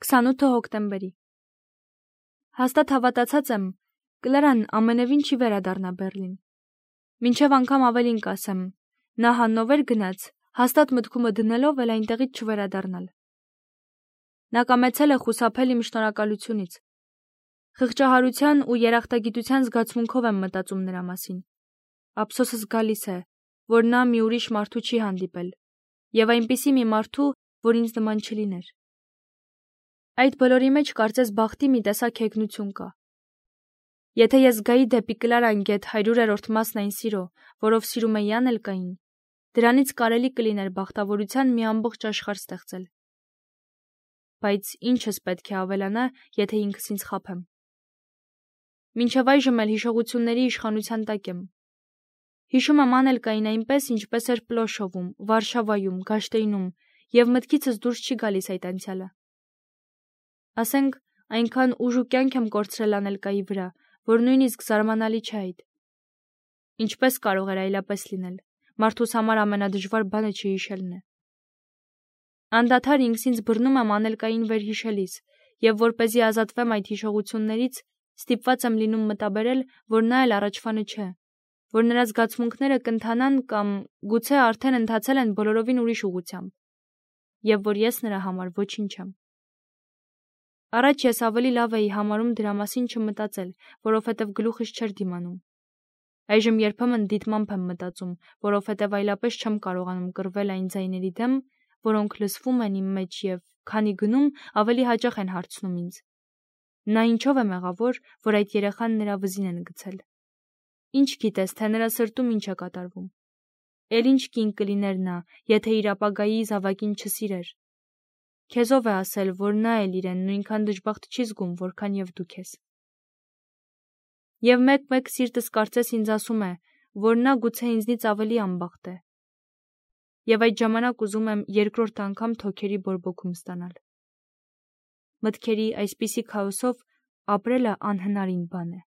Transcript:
28 հոկտեմբերի։ Հաստատ հավատացած եմ, Կլարան ամենևին չի վերադառնա Բեռլին։ Մինչև անգամ ավելին կասեմ, նա Հաննովեր գնաց, հաստատ մտքումը դնելով էլ այնտեղից չվերադառնալ։ Նա կամեցել է խուսափել իմ շնորհակալությունից։ Խղճահարության ու երախտագիտության զգացմունքով եմ մտածում նրա մասին։ Ափսոսս գալիս է, որ նա մի ուրիշ մարդու չի հանդիպել, եւ այնպիսի մի մարդու, որ ինձ նման չլիներ։ Այդ բոլորի մեջ կարծես բախտի մի տեսակ հեգնություն կա։ Եթե ես գայի դեպի Կլարան գետ 100-րդ մասն այն սիրո, որով սիրում է Յան Էլկային, դրանից կարելի կլիներ բախտավորության մի ամբողջ աշխարհ ստեղծել։ Բայց ինչս պետք է ավելանա, եթե ինքս ինձ խաբեմ։ Մինչև այժմ էլ հիշողությունների իշխանության տակ եմ։ Հիշում եմ Ան Էլկային այնպես, ինչպես էր Պլոշովում, Վարշավայում, Գաշտեյնում, եւ մտքիցս դուրս չի գալիս այդ անցյալը։ Ասենք, այնքան ուժ ու կյանք եմ կորցրել Ան Էլկայի վրա, որ նույնիսկ զարմանալի չէ այդ։ Ինչպես կարող էր այլապես լինել։ Մարդուս համար ամենադժվար բանը չհիշելն է։ Անդադար ինքս ինձ բռնում եմ Ան Էլկային վերհիշելիս, եւ որպեսզի ազատվեմ այդ հիշողություններից, ստիպված եմ լինում մտաբերել, որ նա էլ առաջվանը չէ, որ նրա զգացմունքները կընթանան կամ գուցե արդեն ընթացել են բոլորովին ուրիշ ուղղությամբ, եւ որ ես նրա համար ոչինչ եմ։ Առաջ ես ավելի լավ էի համարում դրա մասին չմտածել, որովհետև գլուխս չէր դիմանում։ Այժմ երբեմն դիտմամբ եմ մտածում, որովհետև այլապես չեմ կարողանում կռվել այն ձայների դեմ, որոնք լսվում են իմ մեջ եւ քանի գնում ավելի հաճախ են հարցնում ինձ. նա ինչով է մեղավոր, որ այդ երեխան նրա վզին են գցել։ Ինչ գիտես, թե նրա սրտում ինչ է կատարվում։ Էլ ինչ կին կլիներ նա, եթե իր ապագայի զավակին չսիրեր։ Քեզով է ասել, որ նա էլ իրեն նույնքան դժբախտ չի զգում, որքան եւ դու քեզ։ Եվ մեկ-մեկ սիրտս կարծես ինձ ասում է, որ նա գուցե ինձնից ավելի անբախտ է։ Եվ այդ ժամանակ ուզում եմ երկրորդ անգամ թոքերի բորբոքում ստանալ։ Մտքերի այսպիսի քաոսով ապրելը անհնարին բան է։